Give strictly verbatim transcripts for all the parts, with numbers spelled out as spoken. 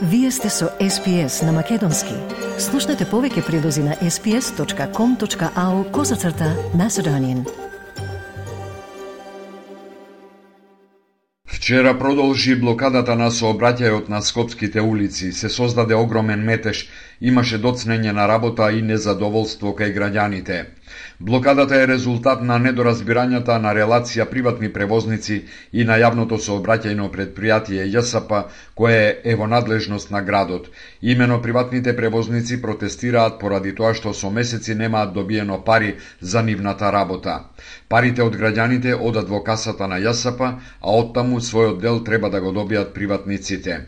Вие сте со Ес Пи Ес на Македонски. Слушнете повеќе прилози на ес пи ес точка ком точка ау козацрта Macedonian. Вчера продолжи блокадата на сообраќајот на скопските улици. Се создаде огромен метеж, имаше доцнење на работа и незадоволство кај граѓаните. Блокадата е резултат на недоразбирањата на релација приватни превозници и на јавното сообраќајно предпријатие Ја С П, кое е во надлежност на градот. Имено приватните превозници протестираат поради тоа што со месеци немаат добиено пари за нивната работа. Парите од граѓаните одат во касата на Ја С П, а оттаму својот дел треба да го добијат приватниците.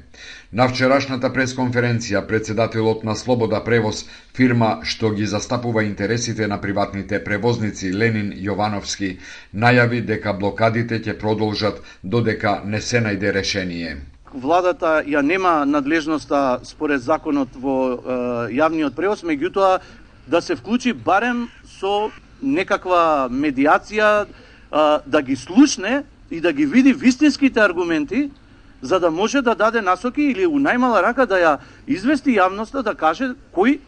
На вчерашната пресконференција, председателот на Слобода Превоз, фирма што ги застапува интересите на приватните превозници Ленин Јовановски, најави дека блокадите ќе продолжат додека не се најде решение. Владата ја нема надлежноста според законот во е, јавниот превоз, меѓутоа да се вклучи барем со некаква медиација, е, да ги слушне и да ги види вистинските аргументи, за да може да даде насоки или у најмала рака да ја извести јавноста, да каже кој,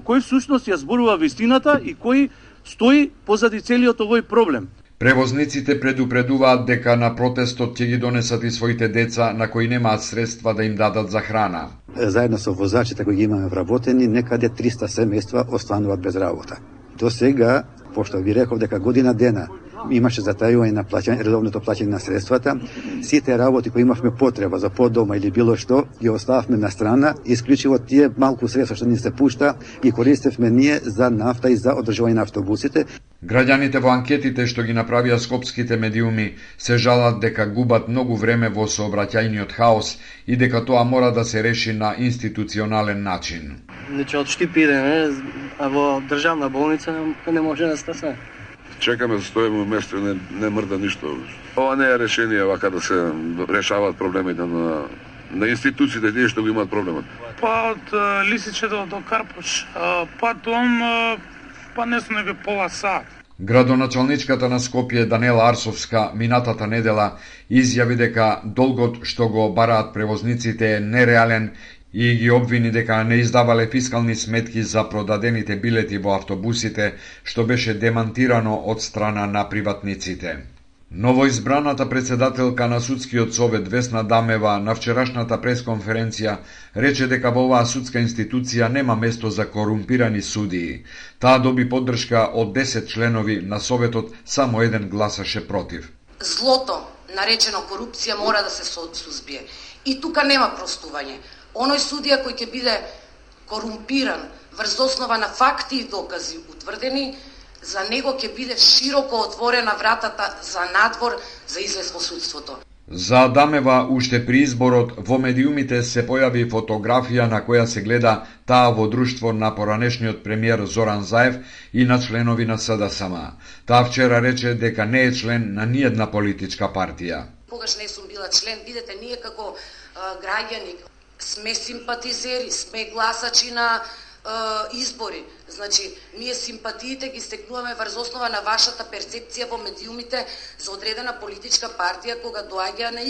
кој всушност ја зборува вистината и кој стои позади целиот овој проблем. Превозниците предупредуваат дека на протестот ќе ги донесат и своите деца на кои немаат средства да им дадат за храна. Заедно со возачите кои ги имаме вработени, некаде триста семејства остануваат без работа. До сега, пошто ви реков дека година дена имаше затајување на плаќање, редовното плаќање на средствата, сите работи кои имавме потреба за подома или било што, ги остававме на страна, исклучиво тие малку средства што ни се пушта и користевме ние за нафта и за одржување на автобусите. Граѓаните во анкетите што ги направија скопските медиуми се жалат дека губат многу време во сообраќајниот хаос и дека тоа мора да се реши на институционален начин. Значи од Штип идеме, а во државна болница не, не може да стаса. Чекаме да стоиме место, не, не мрда ништо. Ова не е решение вака да се решаваат проблемите на, на институциите, тие што го имаат проблемот. Па од Лисиче до, до Карпуш, па дом, па не сме би пола сат. Градоначалничката на Скопје Данела Арсовска минатата недела изјави дека долгот што го бараат превозниците е нереален и ги обвини дека не издавале фискални сметки за продадените билети во автобусите, што беше демантирано од страна на приватниците. Новоизбраната председателка на Судскиот совет Весна Дамева на вчерашната пресконференција рече дека во оваа судска институција нема место за корумпирани судии. Таа доби поддршка од десет членови на советот, само еден гласаше против. Злото, наречено корупција, мора да се сузбие. И тука нема простување. Оној судија кој ќе биде корумпиран врз основа на факти и докази утврдени, за него ќе биде широко отворена вратата за надвор за излез во судството. За Адамева уште при изборот во медиумите се појави фотографија на која се гледа таа во друштво на поранешниот премиер Зоран Заев и на членови на С Д С М. Таа вчера рече дека не е член на ниедна политичка партија. Когаш не сум била член, видете, ние како а, граѓани сме симпатизери, сме гласачи на е, избори. Значи, ние симпатиите ги стекнуваме врз основа на вашата перцепција во медиумите за одредена политичка партија кога доаѓа на,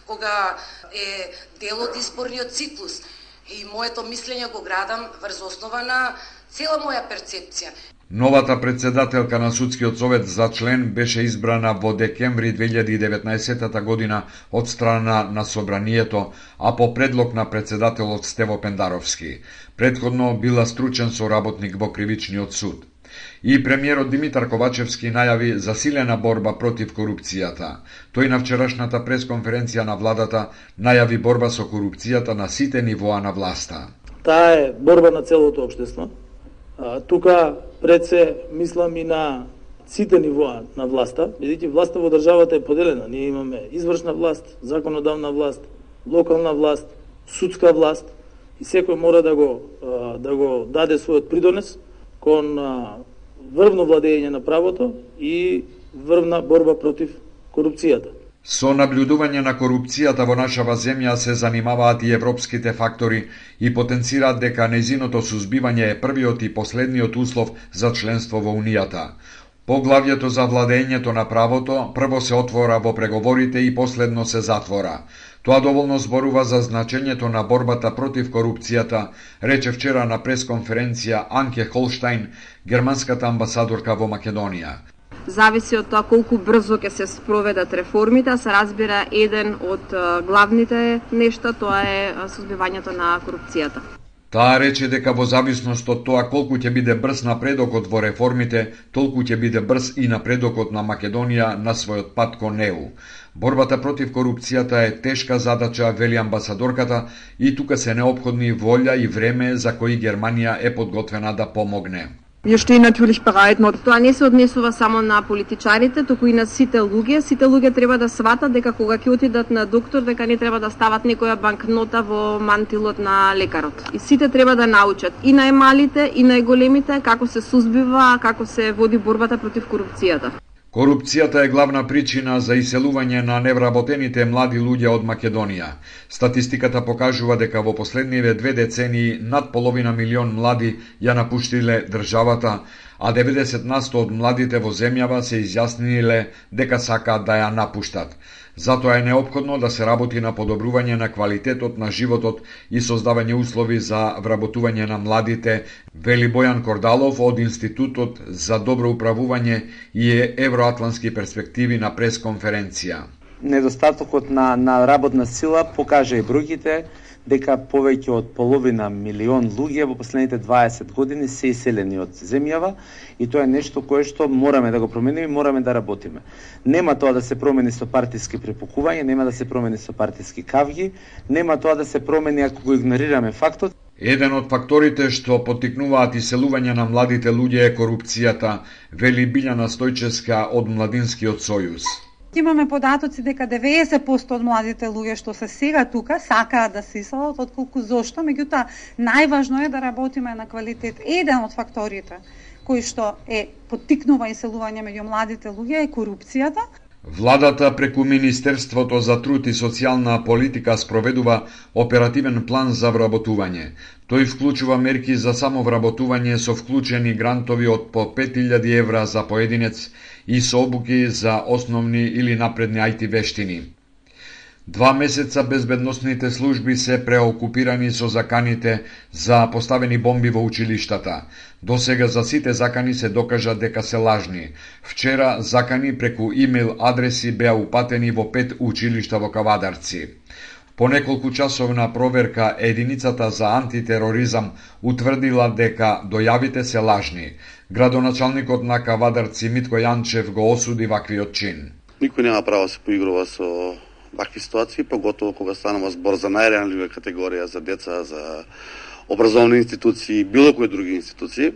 кога е дел од изборниот циклус. И моето мислење го градам врз основа на цела моја перцепција. Новата председателка на Судскиот совет за член беше избрана во декември две илјади и деветнаесетта година од страна на Собранието, а по предлог на председателот Стево Пендаровски. Предходно била стручен соработник во Кривичниот суд. И премиерот Димитар Ковачевски најави засилена борба против корупцијата. Тој на вчерашната пресконференција на владата најави борба со корупцијата на сите нивоа на власта. Таа е борба на целото општество. А, тука пред се мислам и на сите нивоа на власта, бидејќи власта во државата е поделена. Ние имаме извршна власт, законодавна власт, локална власт, судска власт и секој мора да го да го даде својот придонес кон врвно владење на правото и врвна борба против корупцијата. Со наблюдување на корупцијата во нашава земја се занимаваат и европските фактори и потенцираат дека нејзиното сузбивање е првиот и последниот услов за членство во Унијата. Поглавјето за владењето на правото прво се отвора во преговорите и последно се затвора. Тоа доволно зборува за значењето на борбата против корупцијата, рече вчера на пресконференција Анке Холштајн, германската амбасадорка во Македонија. Зависи од тоа колку брзо ќе се спроведат реформите, се разбира еден од главните нешта, тоа е сузбивањето на корупцијата. Таа рече дека во зависност од тоа колку ќе биде брз напредокот во реформите, толку ќе биде брз и напредокот на Македонија на својот пат кон Е У. Борбата против корупцијата е тешка задача, вели амбасадорката, и тука се неопходни волја и време за кои Германија е подготвена да помогне. Wir stehen natürlich bereit. Тоа не се однесува само на политичарите, туку и на сите луѓе. Сите луѓе треба да сватат дека кога ќе отидат на доктор, дека не треба да стават некоја банкнота во мантилот на лекарот. И сите треба да научат, и најмалите, и најголемите, како се сузбива, како се води борбата против корупцијата. Корупцијата е главна причина за иселување на невработените млади луѓе од Македонија. Статистиката покажува дека во последниве две децении над половина милион млади ја напуштиле државата, а деветдесет на сто од младите во земјава се изјасниле дека сакаат да ја напуштат. Затоа е неопходно да се работи на подобрување на квалитетот на животот и создавање услови за вработување на младите, вели Бојан Кордалов од Институтот за добро управување и евроатлански перспективи на пресконференција. Недостатокот на, на работна сила покажа и бројките дека повеќе од половина милион луѓе во последните дваесет години се иселени од земјава и тоа е нешто кое што мораме да го промениме и мораме да работиме. Нема тоа да се промени со партиски препукување, нема да се промени со партиски кавги, нема тоа да се промени ако го игнорираме фактот. Еден од факторите што поттикнуваат иселување на младите луѓе е корупцијата, вели Билјана Стојчевска од Младинскиот сојуз. Имаме податоци дека деветдесет проценти од младите луѓе што се сега тука сакаат да се иселат, отколку зошто, меѓутоа најважно е да работиме на квалитет. Еден од факторите кои што е поттикнува иселување меѓу младите луѓе е корупцијата. Владата преку Министерството за труд и социјална политика спроведува оперативен план за вработување. Тој вклучува мерки за самовработување со вклучени грантови од по пет илјади евра за поединец и со обуки за основни или напредни ај ти вештини. Два месеца безбедносните служби се преокупирани со заканите за поставени бомби во училиштата. Досега за сите закани се докажа дека се лажни. Вчера закани преку имејл адреси беа упатени во пет училишта во Кавадарци. По неколку часовна проверка единицата за антитероризам утврдила дека дојавите се лажни. Градоначалникот на Кавадарци Митко Јанчев го осуди ваквиот чин. Никој нема право да се поигрува со вакви ситуации, поготово кога станува збор за најранлива категорија, за деца, за образовни институции, било кои други институции.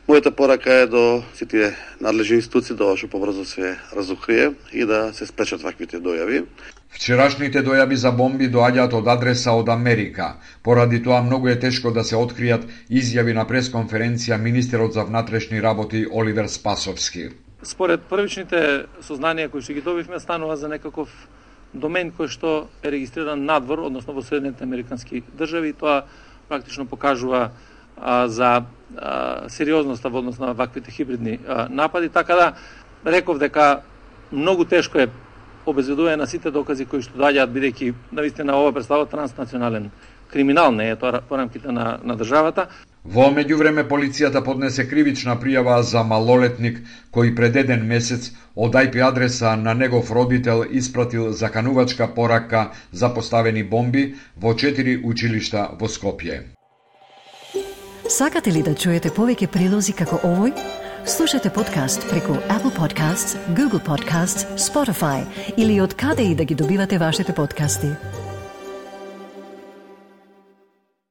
Мојата порака е до сите надлежни институции да што побрзо се разукрие и да се спречат ваквите дојави. Вчерашните дојави за бомби доаѓаат од адреса од Америка. Поради тоа многу е тешко да се откријат, изјави на пресконференција министерот за внатрешни работи Оливер Спасовски. Според првичните сознанија кои што ги добивме, станува за некаков домен кој што е регистриран надвор, односно во Соединетите Американски држави. Тоа практично покажува а, за а, сериозноста во однос на ваквите хибридни а, напади, така да реков дека многу тешко е обезвредување на сите докази кои што доаѓаат, бидејќи навистина ова представува транснационален криминал, не е тоа по рамките на, на државата. Во меѓувреме полицијата поднесе кривична пријава за малолетник кој пред еден месец од ај пи адреса на негов родител испратил заканувачка порака за поставени бомби во четири училишта во Скопје. Сакате ли да чуете повеќе прилози како овој? Слушате подкаст преку Apple Podcasts, Google Podcasts, Spotify или од каде и да ги добивате вашите подкасти.